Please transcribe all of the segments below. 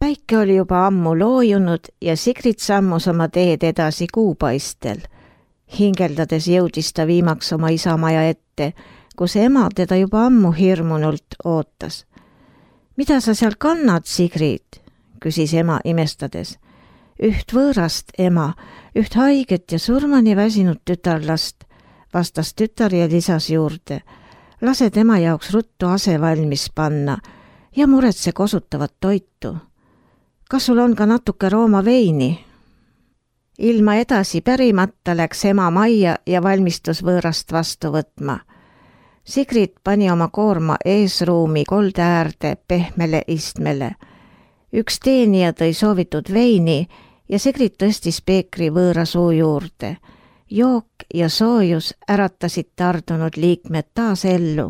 Päike oli juba ammu loojunud ja Sigrid sammus oma teed edasi kuupaistel. Hingeldades jõudis ta viimaks oma isamaja ette, kus ema teda juba ammu hirmunult ootas. Mida sa seal kannad, Sigrid? Küsis ema imestades. Üht võõrast, ema, üht haiget ja surmani väsinud tütarlast, vastas tütar ja lisas juurde. Lase tema jaoks ruttu ase valmis panna ja muretse kosutavat toitu. Kas sul on ka natuke Rooma veini? Ilma edasi pärimata läks ema majja ja valmistus võõrast vastu võtma. Sigrid pani oma koorma eesruumi kolde äärde pehmele istmele. Üks teenija tõi soovitud veini ja Sigrid tõstis peekri võõra suu juurde. Jook ja soojus äratasid tardunud liikmed taas ellu.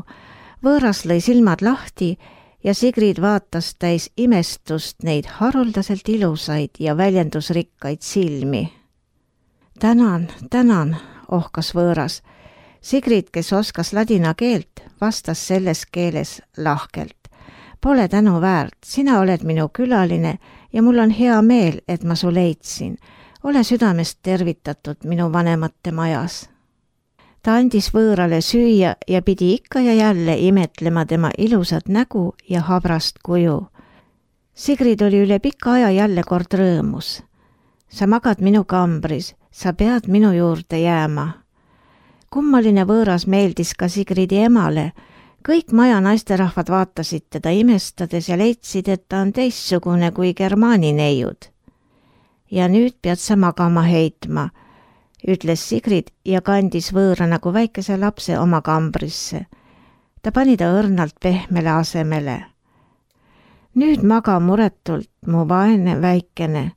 Võõras lõi silmad lahti ja Sigrid vaatas täis imestust neid haruldaselt ilusaid ja väljendusrikkaid silmi. Tänan, ohkas võõras. Sigrid, kes oskas ladina keelt, vastas selles keeles lahkelt. Pole tänu väärt, sina oled minu külaline ja mul on hea meel, et ma su leidsin. Ole südamest tervitatud minu vanemate majas. Ta andis võõrale süüa ja pidi ikka ja jälle imetlema tema ilusat nägu ja habrast kuju. Sigrid oli üle pika aja jälle kord rõõmus. Sa magad minu kambris, sa pead minu juurde jääma. Kummaline võõras meeldis ka Sigridi emale. Kõik maja naisterahvad vaatasid teda imestades ja leidsid, et ta on teistsugune kui germaani neiud. Ja nüüd pead sa magama heitma, ütles Sigrid ja kandis võõra nagu väikese lapse oma kambrisse. Ta pani ta õrnalt pehmele asemele. Nüüd maga muretult, mu vaene väikene.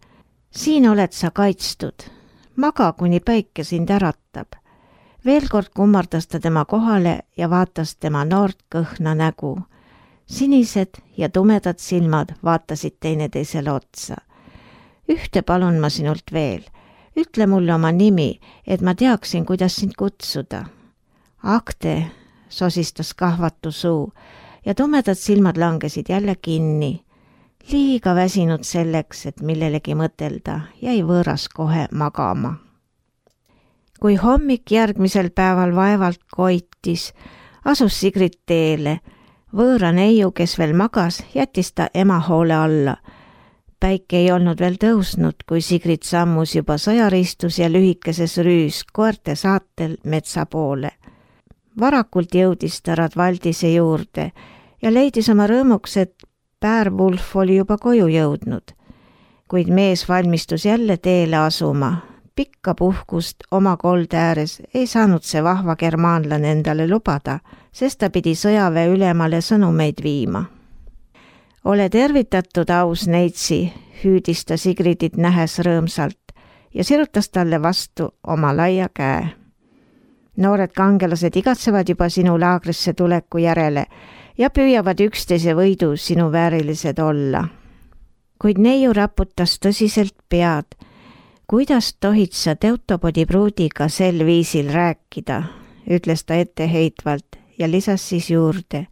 Siin oled sa kaitstud. Maga, kuni päike sind äratab. Veel kord kummardas ta tema kohale ja vaatas tema noort kõhna nägu. Sinised ja tumedad silmad vaatasid teineteisele otsa. Ühte palun ma sinult veel. Ütle mulle oma nimi, et ma teaksin, kuidas sind kutsuda. Agde, sosistas kahvatu suu ja tumedad silmad langesid jälle kinni. Liiga väsinud selleks, et millelegi mõtelda, jäi võõras kohe magama. Kui hommik järgmisel päeval vaevalt koitis, asus Sigrid teele. Võõra neiu, kes veel magas, jättis ta ema hoole alla. Päike ei olnud veel tõusnud, kui Sigrid sammus juba sõjaristus ja lühikeses rüüs koerte saatel metsa poole. Varakult jõudis ta Radvaldise juurde ja leidis oma rõõmuks, et Päärvulf oli juba koju jõudnud. Kuid mees valmistus jälle teele asuma. Pikka puhkust oma kolde ääres ei saanud see vahva germaanlane endale lubada, sest ta pidi sõjaväe ülemale sõnumeid viima. Ole tervitatud, aus neitsi, hüüdis ta Sigridit nähes rõõmsalt ja sirutas talle vastu oma laia käe. Noored kangelased igatsevad juba sinu laagrisse tuleku järele ja püüavad üksteise võidu sinu väärilised olla. Kuid neiu raputas tõsiselt pead. Kuidas tohid sa Teutopodi pruudiga sel viisil rääkida, ütles ta etteheitvalt ja lisas siis juurde.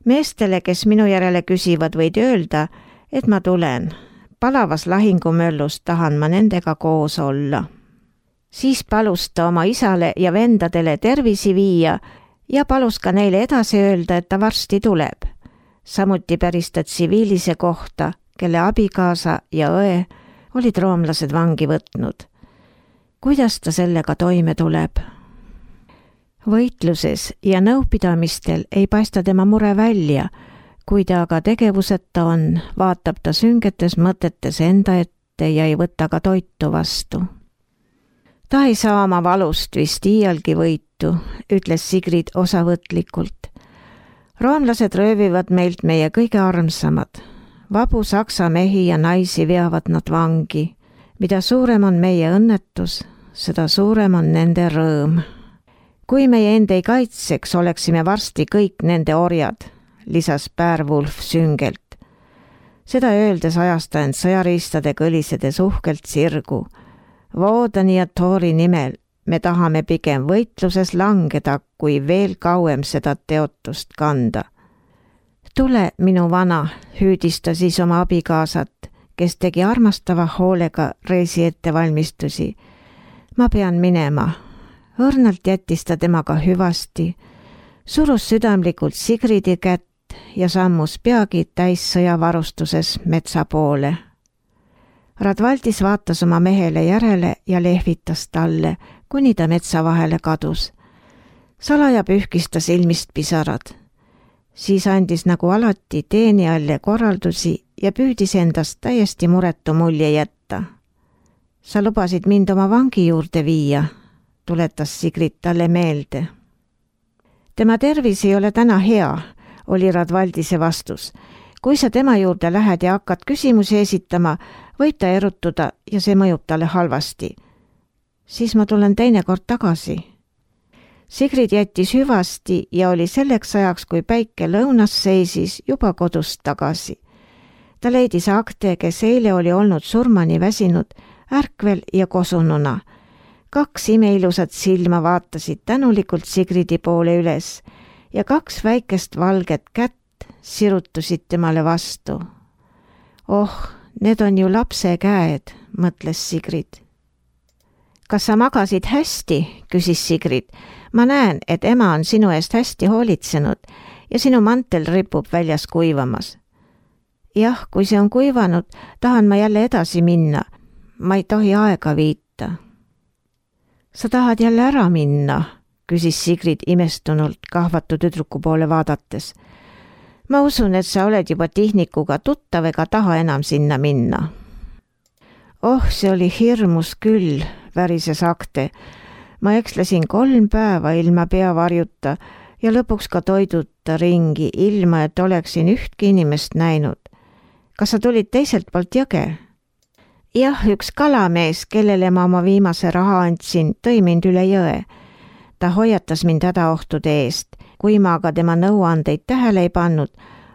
Meestele, kes minu järele küsivad, võid öelda, et ma tulen. Palavas lahingumöllus tahan ma nendega koos olla. Siis palus ta oma isale ja vendadele tervisi viia ja palus ka neile edasi öelda, et ta varsti tuleb. Samuti päris ta tsiviilise kohta, kelle abikaasa ja õe olid roomlased vangi võtnud. Kuidas ta sellega toime tuleb? Võitluses ja nõupidamistel ei paista tema mure välja, kui ta aga tegevuseta on, vaatab ta süngetes mõtetes enda ette ja ei võta ka toitu vastu. Ta ei saa oma valust vist iialgi võitu, ütles Sigrid osavõtlikult. Roomlased röövivad meilt meie kõige armsamad. Vabu saksa mehi ja naisi veavad nad vangi. Mida suurem on meie õnnetus, seda suurem on nende rõõm. Kui meie enda ei kaitseks, oleksime varsti kõik nende orjad, lisas Päärvulf süngelt. Seda öeldes ajas ta end sõjariistade kõlisedes uhkelt sirgu. Voodani ja Toori nimel me tahame pigem võitluses langeda, kui veel kauem seda teotust kanda. Tule, minu vana, hüüdis ta siis oma abikaasat kes tegi armastava hoolega reisi ettevalmistusi. Ma pean minema. Õrnalt jättis ta temaga hüvasti, surus südamlikult Sigridi kätt ja sammus peagi täis sõjavarustuses metsa poole. Radvaldis vaatas oma mehele järele ja lehvitas talle, kuni ta metsa vahele kadus. Salaja pühkis ta silmist pisarad. Siis andis nagu alati teenijalle korraldusi ja püüdis endast täiesti muretu mulje jätta. Sa lubasid mind oma vangi juurde viia, tuletas Sigrid talle meelde. Tema tervis ei ole täna hea, oli Radvaldise vastus. Kui sa tema juurde lähed ja hakkad küsimusi esitama, võib ta erutuda ja see mõjub talle halvasti. Siis ma tulen teinekord tagasi. Sigrid jättis hüvasti ja oli selleks ajaks, kui päike lõunas seisis, juba kodust tagasi. Ta leidis Akte, kes eile oli olnud surmani väsinud, ärkvel ja kosununa. 2 imeilusat silma vaatasid tänulikult Sigridi poole üles ja 2 väikest valget kätt sirutusid temale vastu. Oh, need on ju lapse käed, mõtles Sigrid. Kas sa magasid hästi, küsis Sigrid. Ma näen, et ema on sinu eest hästi hoolitsenud ja sinu mantel ripub väljas kuivamas. Jah, kui see on kuivanud, tahan ma jälle edasi minna. Ma ei tohi aega viita. Sa tahad jälle ära minna, küsis Sigrid imestunult kahvatu tüdruku poole vaadates. Ma usun, et sa oled juba Tihnikuga tuttav ega taha enam sinna minna. Oh, see oli hirmus küll, värises Akte. Ma ekslesin 3 päeva ilma peavarjuta ja lõpuks ka toiduta ringi, ilma et oleksin ühtki inimest näinud. Kas sa tulid teiselt poolt jõge? Jah, üks kalamees, kellele ma oma viimase raha andsin, tõi mind üle jõe. Ta hoiatas mind hädaohtude eest. Kui ma aga tema nõuandeid tähele ei pannud,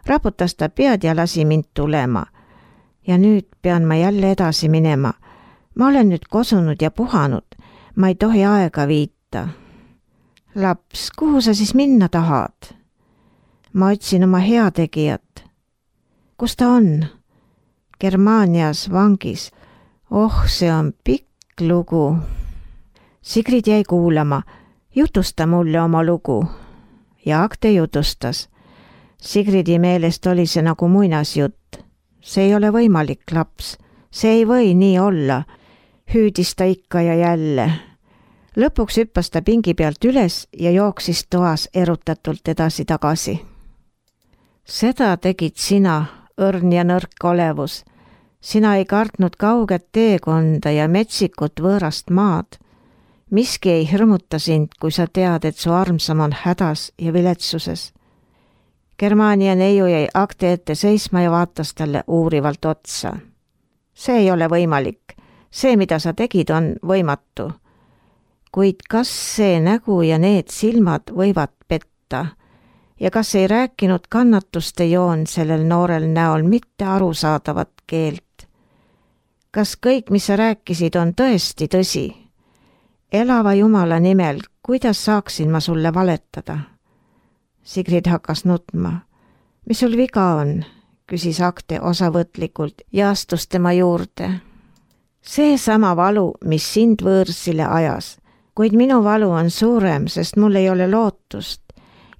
raputas ta pead ja lasi mind tulema. Ja nüüd pean ma jälle edasi minema. Ma olen nüüd kosunud ja puhanud. Ma ei tohi aega viita. Laps, kuhu sa siis minna tahad? Ma otsin oma heategijat. Kus ta on? Germaanias vangis. Oh, see on pikk lugu. Sigrid jäi kuulama. Jutusta mulle oma lugu. Ja Akte jutustas. Sigridi meelest oli see nagu muinasjutt. See ei ole võimalik, laps. See ei või nii olla. Hüüdis ta ikka ja jälle. Lõpuks hüppas ta pingi pealt üles ja jooksis toas erutatult edasi-tagasi. Seda tegid sina, õrn ja nõrk olevus. Sina ei kartnud kauget teekonda ja metsikut võõrast maad. Miski ei hirmuta sind, kui sa tead, et su armsam on hädas ja viletsuses. Germaania neiu jäi Akte ette seisma ja vaatas talle uurivalt otsa. See ei ole võimalik. See, mida sa tegid, on võimatu. Kuid kas see nägu ja need silmad võivad petta? Ja kas ei rääkinud kannatuste joon sellel noorel näol mitte arusaadavat keelt? Kas kõik, mis sa rääkisid, on tõesti tõsi? Elava Jumala nimel, kuidas saaksin ma sulle valetada? Sigrid hakkas nutma. Mis sul viga on? Küsis Akte osavõtlikult ja astus tema juurde. See sama valu, mis sind võõrsile ajas, kuid minu valu on suurem, sest mul ei ole lootust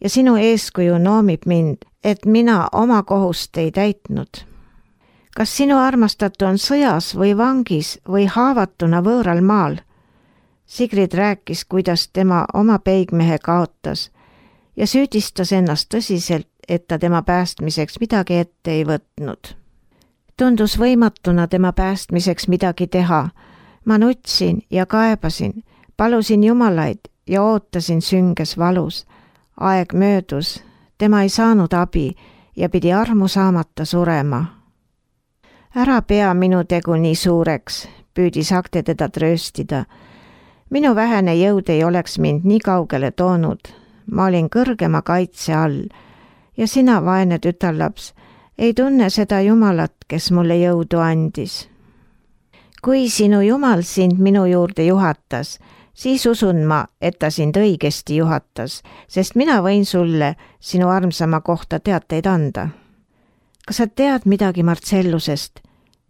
ja sinu eeskuju noomib mind, et mina oma kohust ei täitnud. Kas sinu armastatu on sõjas või vangis või haavatuna võõral maal? Sigrid rääkis, kuidas tema oma peigmehe kaotas ja süüdistas ennast tõsiselt, et ta tema päästmiseks midagi ette ei võtnud. Tundus võimatuna tema päästmiseks midagi teha. Ma nutsin ja kaebasin, palusin jumalaid ja ootasin sünges valus. Aeg möödus, tema ei saanud abi ja pidi armu saamata surema. Ära pea minu tegu nii suureks, püüdis Akte teda trööstida. Minu vähene jõud ei oleks mind nii kaugele toonud. Ma olin kõrgema kaitse all ja sina, vaene tütarlaps, ei tunne seda Jumalat, kes mulle jõudu andis. Kui sinu Jumal sind minu juurde juhatas, siis usun ma, et ta sind õigesti juhatas, sest mina võin sulle sinu armsama kohta teateid anda. Kas sa tead midagi Marcellusest?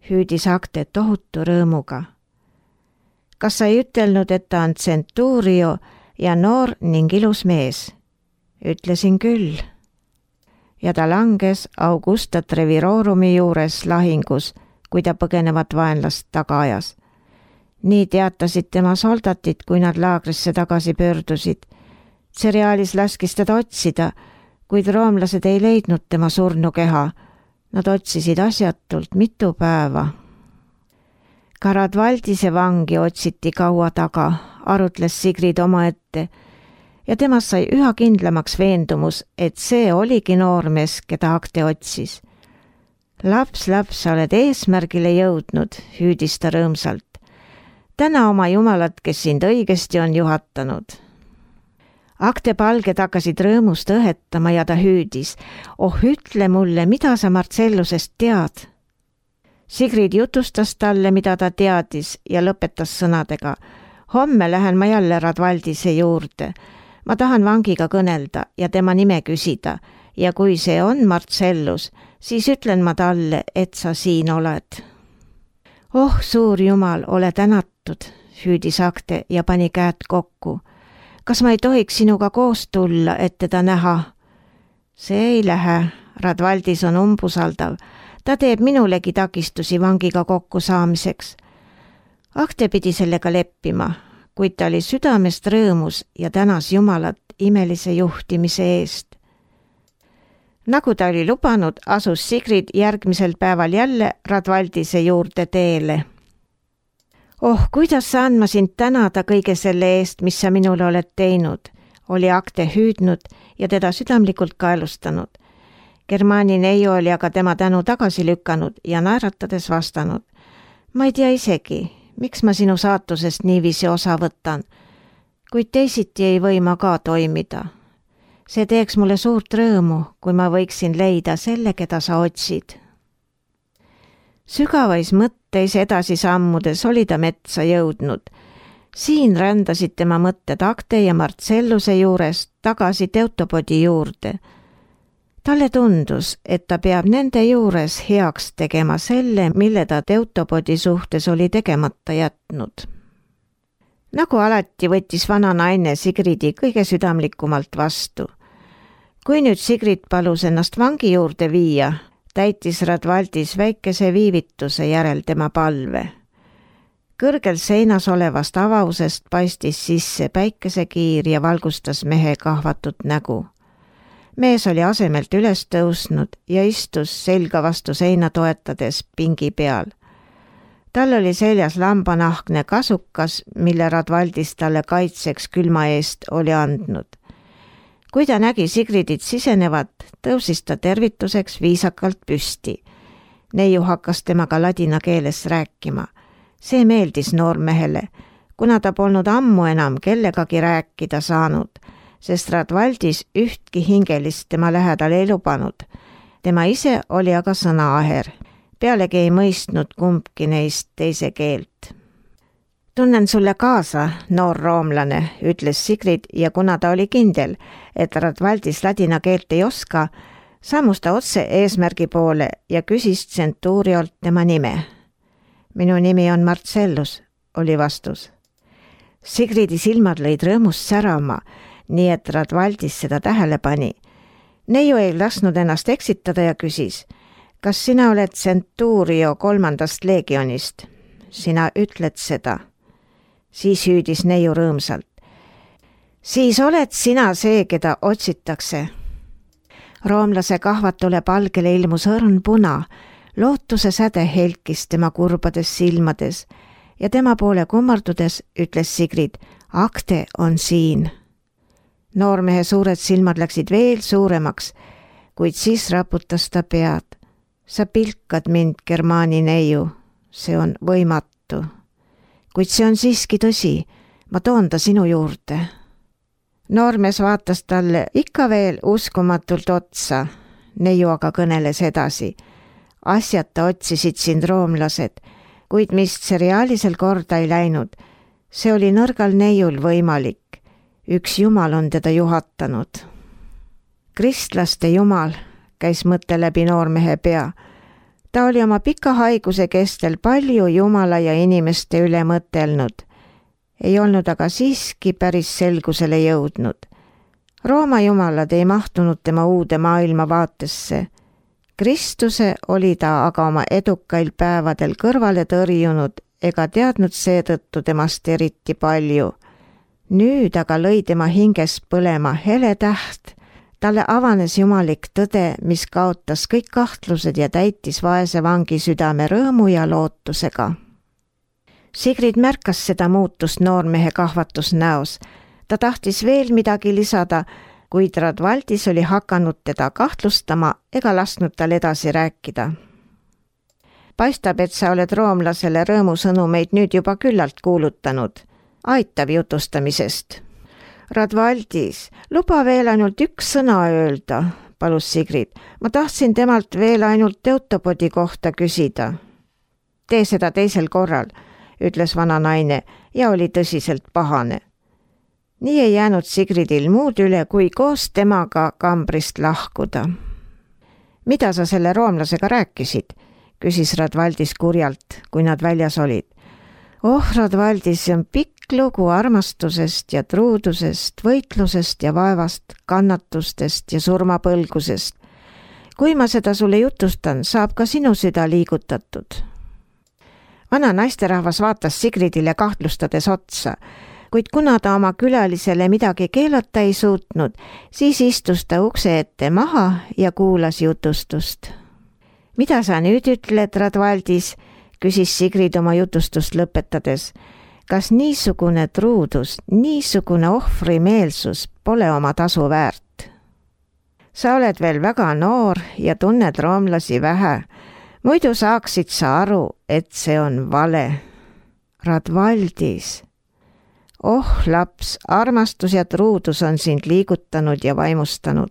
hüüdis Akte tohutu rõõmuga. Kas sa ei ütelnud, et ta on Centurio ja noor ning ilus mees? Ütlesin küll. Ja ta langes Augusta Trevirorumi juures lahingus, kui ta põgenevat vaenlast taga ajas. Nii teatasid tema soldatid, kui nad laagrisse tagasi pöördusid. Cerealis laskis teda otsida, kuid roomlased ei leidnud tema surnukeha. Nad otsisid asjatult mitu päeva. Ka Radvaldise vangi otsiti kaua taga, arutles Sigrid omaette ja temast sai üha kindlamaks veendumus, et see oligi noormees, keda Akte otsis. Laps, sa oled eesmärgile jõudnud, hüüdis ta rõõmsalt. Täna oma jumalat, kes sind õigesti on juhatanud. Akte palged hakkasid rõõmust õhetama ja ta hüüdis. Oh, ütle mulle, mida sa Marcellusest tead? Sigrid jutustas talle, mida ta teadis ja lõpetas sõnadega. Homme lähen ma jälle Radvaldise juurde. Ma tahan vangiga kõnelda ja tema nime küsida ja kui see on Marcellus, siis ütlen ma talle, et sa siin oled. Oh, suur jumal, ole tänatud, hüüdis Akte ja pani käed kokku. Kas ma ei tohiks sinuga koos tulla, et teda näha? See ei lähe, Radvaldis on umbusaldav. Ta teeb minulegi takistusi vangiga kokku saamiseks. Akte pidi sellega leppima, kuid ta oli südamest rõõmus ja tänas Jumalat imelise juhtimise eest. Nagu ta oli lubanud, asus Sigrid järgmisel päeval jälle Radvaldise juurde teele. Oh, kuidas saan ma sind tänada kõige selle eest, mis sa minule oled teinud, oli Akte hüüdnud ja teda südamlikult kaelustanud. Germani neiu oli aga tema tänu tagasi lükanud ja naeratades vastanud. Ma ei tea isegi, miks ma sinu saatusest niiviisi osa võtan, kuid teisiti ei või ma ka toimida. See teeks mulle suurt rõõmu, kui ma võiksin leida selle, keda sa otsid. Sügavais mõtteis edasi sammudes oli ta metsa jõudnud. Siin rändasid tema mõtted Akte ja Marcelluse juurest tagasi Teutopodi juurde. Talle tundus, et ta peab nende juures heaks tegema selle, mille ta Teutopodi suhtes oli tegemata jätnud. Nagu alati võttis vana naine Sigridi kõige südamlikumalt vastu. Kui nüüd Sigrid palus ennast vangi juurde viia, täitis Radvaldis väikese viivituse järel tema palve. Kõrgel seinas olevast avausest paistis sisse päikesekiir ja valgustas mehe kahvatut nägu. Mees oli asemelt üles tõusnud ja istus selga vastu seina toetades pingi peal. Tal oli seljas lambanahkne kasukas, mille Radvaldis talle kaitseks külma eest oli andnud. Kui ta nägi Sigridit sisenevat, tõusis ta tervituseks viisakalt püsti. Neiu hakkas temaga ladina keeles rääkima. See meeldis noormehele, kuna ta polnud ammu enam kellegagi rääkida saanud, sest Radvaldis ühtki hingelist tema lähedal ei lubanud. Tema ise oli aga sõnaaher. Pealegi ei mõistnud kumbki neist teise keelt. Tunnen sulle kaasa, noor roomlane, ütles Sigrid ja kuna ta oli kindel, et Radvaldis ladina keelt ei oska, sammus ta otse eesmärgi poole ja küsis Centuriolt tema nime. Minu nimi on Marcellus, oli vastus. Sigridi silmad lõid rõõmust särama, nii et Radvaldis seda tähele pani. Neiu ei lasknud ennast eksitada ja küsis, kas sina oled Centurio 3. leegionist? Sina ütled seda. Siis hüüdis neiu rõõmsalt. Siis oled sina see, keda otsitakse. Roomlase kahvatule palgele ilmus õrn puna, lootuse säde helkis tema kurbades silmades ja tema poole kummardudes ütles Sigrid, Akte on siin. Noormehe suured silmad läksid veel suuremaks, kuid siis raputas ta pead. Sa pilkad mind, Germani neiu, see on võimatu. Kuid see on siiski tõsi, ma toon ta sinu juurde. Noormees vaatas talle ikka veel uskumatult otsa, neiu aga kõneles edasi. Asjata otsisid sind roomlased, kuid mis seriaalisel korda ei läinud, see oli nõrgal neiul võimalik. Üks jumal on teda juhatanud. Kristlaste jumal, käis mõte läbi noormehe pea. Ta oli oma pika haiguse kestel palju Jumala ja inimeste üle mõtelnud. Ei olnud aga siiski päris selgusele jõudnud. Rooma jumalad ei mahtunud tema uude maailmavaatesse. Kristuse oli ta aga oma edukail päevadel kõrvale tõrjunud ega teadnud seetõttu temast eriti palju. Nüüd aga lõi tema hinges põlema hele täht. Talle avanes jumalik tõde, mis kaotas kõik kahtlused ja täitis vaese vangi südame rõõmu ja lootusega. Sigrid märkas seda muutust noormehe kahvatusnäos. Ta tahtis veel midagi lisada, kuid Radvaldis oli hakanud teda kahtlustama ega lasknud tal edasi rääkida. Paistab, et sa oled roomlasele rõõmusõnumeid nüüd juba küllalt kuulutanud. Aitab jutustamisest. Radvaldis, luba veel ainult üks sõna öelda, palus Sigrid. Ma tahtsin temalt veel ainult Teutobodi kohta küsida. Tee seda teisel korral, ütles vana naine ja oli tõsiselt pahane. Nii ei jäänud Sigridil muud üle, kui koos temaga kambrist lahkuda. Mida sa selle roomlasega rääkisid? Küsis Radvaldis kurjalt, kui nad väljas olid. Oh, Radvaldis, see on pikk lugu armastusest ja truudusest, võitlusest ja vaevast, kannatustest ja surmapõlgusest. Kui ma seda sulle jutustan, saab ka sinu süda liigutatud. Vana naisterahvas vaatas Sigridile kahtlustades otsa, kuid kuna ta oma külalisele midagi keelata ei suutnud, siis istus ta ukse ette maha ja kuulas jutustust. Mida sa nüüd ütled, Radvaldis? Küsis Sigrid oma jutustust lõpetades. Kas niisugune truudus, niisugune ohvrimeelsus pole oma tasu väärt? Sa oled veel väga noor ja tunned roomlasi vähe. Muidu saaksid sa aru, et see on vale. Radvaldis. Oh, laps, armastus ja truudus on sind liigutanud ja vaimustanud.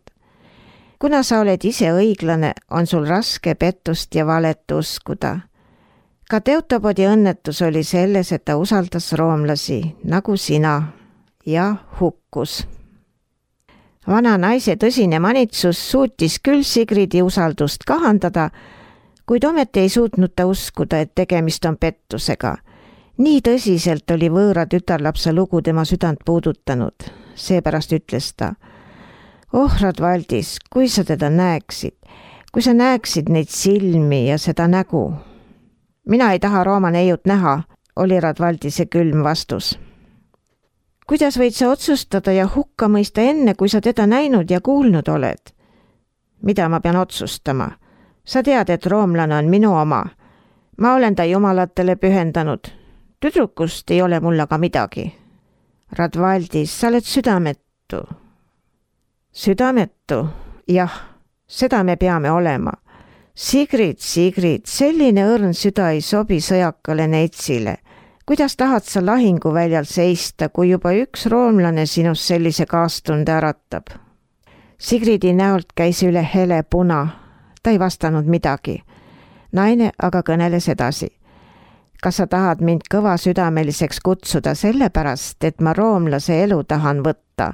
Kuna sa oled ise õiglane, on sul raske pettust ja valet uskuda. Ka Teutobodi õnnetus oli selles, et ta usaldas roomlasi, nagu sina, ja hukkus. Vana naise tõsine manitsus suutis küll Sigridi usaldust kahandada, kuid ometi ei suutnud ta uskuda, et tegemist on pettusega. Nii tõsiselt oli võõra tütarlapse lugu tema südant puudutanud. Seepärast ütles ta, oh, Radvaldis, kui sa teda näeksid, kui sa näeksid neid silmi ja seda nägu. Mina ei taha Rooma neiut näha, oli Radvaldise külm vastus. Kuidas võid sa otsustada ja hukka mõista enne, kui sa teda näinud ja kuulnud oled? Mida ma pean otsustama? Sa tead, et roomlane on minu oma. Ma olen ta jumalatele pühendanud. Tüdrukust ei ole mul aga midagi. Radvaldis, sa oled südametu. Südametu? Jah, seda me peame olema. Sigrid, selline õrn süda ei sobi sõjakale neitsile. Kuidas tahad sa lahinguväljal seista, kui juba üks roomlane sinust sellise kaastunde äratab? Sigridi näolt käis üle hele puna. Ta ei vastanud midagi. Naine aga kõneles edasi. Kas sa tahad mind kõva südameliseks kutsuda sellepärast, et ma roomlase elu tahan võtta?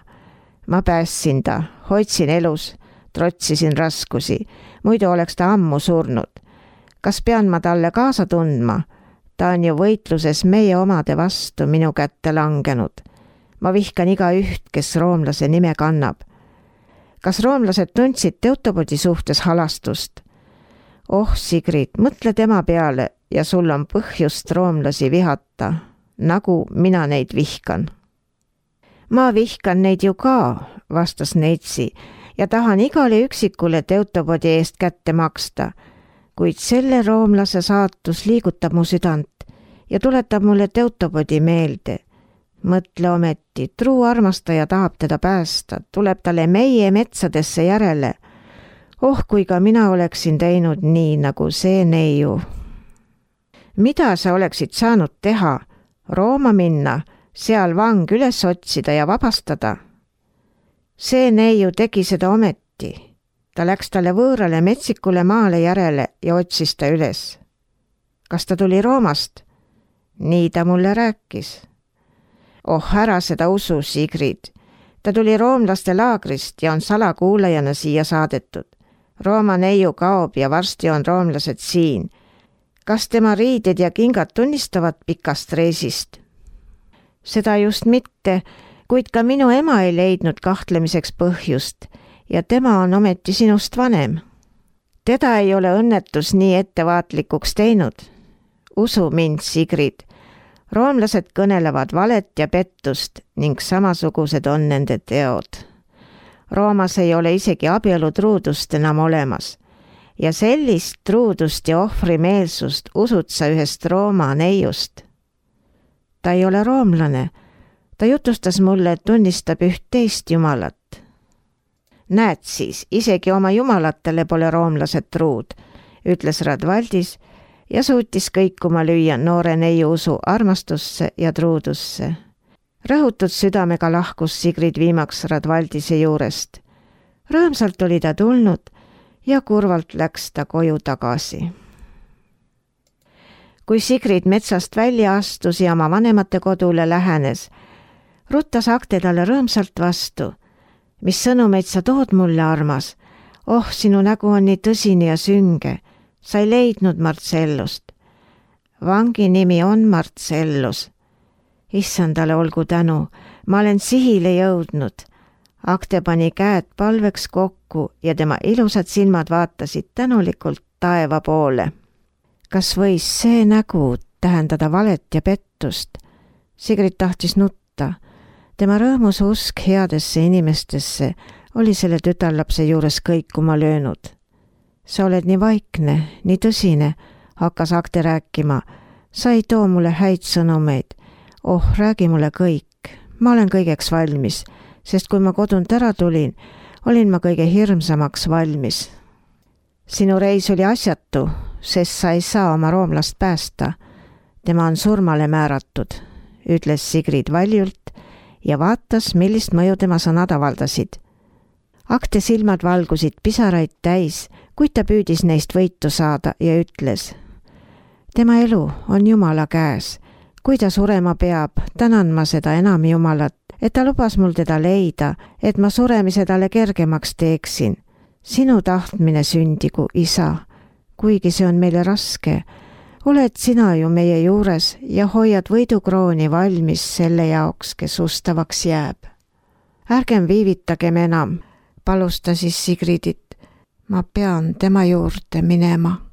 Ma päästsin ta, hoidsin elus, trotsisin raskusi, muidu oleks ta ammu surnud. Kas pean ma talle kaasa tundma? Ta on ju võitluses meie omade vastu minu kätte langenud. Ma vihkan igaüht, kes roomlase nime kannab. Kas roomlased tundsid Teutobodi suhtes halastust? Oh, Sigrid, mõtle tema peale ja sul on põhjust roomlasi vihata, nagu mina neid vihkan. Ma vihkan neid ju ka, vastas neitsi, ja tahan igale üksikule Teutobodi eest kätte maksta, kuid selle roomlase saatus liigutab mu südant ja tuletab mulle Teutobodi meelde. Mõtle ometi, truu armastaja tahab teda päästa, tuleb talle meie metsadesse järele. Oh, kui ka mina oleksin teinud nii, nagu see neiu. Mida sa oleksid saanud teha? Rooma minna, seal vang üles otsida ja vabastada? See neiu tegi seda ometi. Ta läks talle võõrale metsikule maale järele ja otsis ta üles. Kas ta tuli Roomast? Nii ta mulle rääkis. Oh, ära seda usu, Sigrid. Ta tuli roomlaste laagrist ja on salakuulajana siia saadetud. Rooma neiu kaob ja varsti on roomlased siin. Kas tema riided ja kingad tunnistavad pikast reisist? Seda just mitte, kuid ka minu ema ei leidnud kahtlemiseks põhjust ja tema on ometi sinust vanem. Teda ei ole õnnetus nii ettevaatlikuks teinud. Usu mind, Sigrid. Roomlased kõnelevad valet ja pettust ning samasugused on nende teod. Roomas ei ole isegi abielutruudust enam olemas ja sellist truudust ja ohvrimeelsust usud sa ühest Rooma neiust. Ta ei ole roomlane. Ta jutustas mulle, et tunnistab üht teist jumalat. Näed siis, isegi oma jumalatele pole roomlased truud, ütles Radvaldis ja suutis kõikuma lüüa noore neiu usu armastusse ja truudusse. Rõhutud südamega lahkus Sigrid viimaks Radvaldise juurest. Rõõmsalt oli ta tulnud ja kurvalt läks ta koju tagasi. Kui Sigrid metsast välja astus ja oma vanemate kodule lähenes, ruttas Akte talle rõõmsalt vastu. Mis sõnumeid sa tood mulle, armas? Oh, sinu nägu on nii tõsine ja sünge. Sa ei leidnud Marcellust. Vangi nimi on Marcellus. Issandale olgu tänu, ma olen sihile jõudnud. Akte pani käed palveks kokku ja tema ilusad silmad vaatasid tänulikult taeva poole. Kas võis see nägu tähendada valet ja pettust? Sigrid tahtis nutta. Tema rõõmus usk headesse inimestesse oli selle tütarlapse juures kõikuma löönud. Sa oled nii vaikne, nii tõsine, hakkas Akte rääkima. Sa ei too mulle häid sõnumeid. Oh, räägi mulle kõik. Ma olen kõigeks valmis, sest kui ma kodunt ära tulin, olin ma kõige hirmsamaks valmis. Sinu reis oli asjatu, sest sa ei saa oma roomlast päästa. Tema on surmale määratud, ütles Sigrid valjult ja vaatas, millist mõju tema sõnad avaldasid. Akte silmad valgusid pisaraid täis, kuid ta püüdis neist võitu saada ja ütles: tema elu on Jumala käes. Kui ta surema peab, tänan ma seda enam Jumalat, et ta lubas mul teda leida, et ma suremise talle kergemaks teeksin. Sinu tahtmine sündigu, isa, kuigi see on meile raske. Oled sina ju meie juures ja hoiad võidukrooni valmis selle jaoks, kes ustavaks jääb. Ärgem viivitagem enam, palus ta siis Sigridit. Ma pean tema juurde minema.